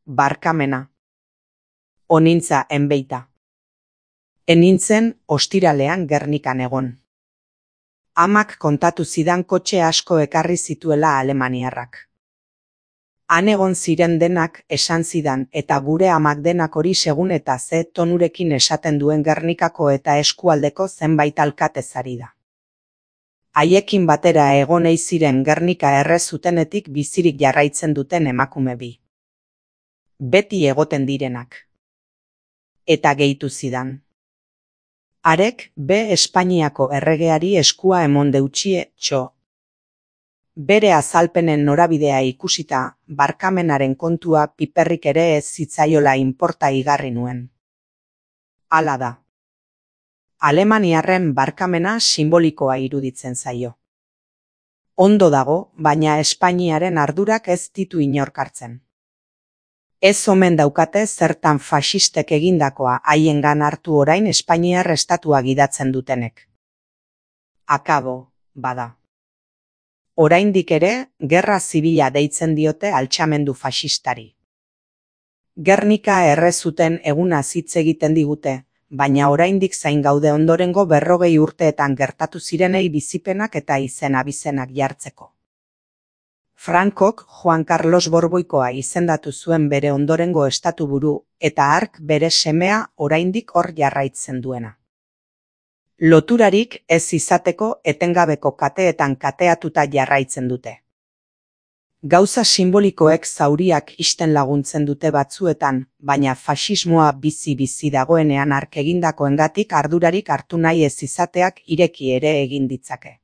barkamena. Onintza enbeita. Enintzen ostiralean Gernikan egon. Amak kontatu zidan kotxe asko ekarri zituela alemaniarrak. Han egon ziren denak esan zidan eta gure amak denak hori segun eta ze tonurekin esaten duen Gernikako eta eskualdeko zenbait alkatezari da. Haiekin batera egon ei ziren Gernika erre zutenetik bizirik jarraitzen duten emakume bi. Beti egoten direnak. Eta gehitu zidan. Harek be Espainiako erregeari eskua emon deutxie txo. Bere azalpenen norabidea ikusita, barkamenaren kontua piperrik ere ez zitzaiola inporta igarri nuen. Hala da. Alemaniarren barkamena simbolikoa iruditzen zaio. Ondo dago, baina Espainiaren ardurak ez ditu inork hartzen. Ez omen daukate zertan faxistek egindakoa haiengan hartu orain Espainiar estatua gidatzen dutenek. Akabo, bada. Oraindik ere, gerra zibila deitzen diote altxamendu faxistari. Gernika erre zuten egunaz hitz egiten digute, baina oraindik zain gaude ondorengo 40 urteetan gertatu zirenei bizipenak eta izen-abizenak jartzeko. Frankok Juan Carlos Borboikoa izendatu zuen bere ondorengo estatuburu eta hark bere semea oraindik hor jarraitzen duena. Loturarik ez izateko etengabeko kateetan kateatuta jarraitzen dute. Gauza simbolikoek zauriak isten laguntzen dute batzuetan, baina faxismoa bizi-bizi dagoenean hark egindakoengatik ardurarik hartu nahi ez izateak ireki ere egin ditzake.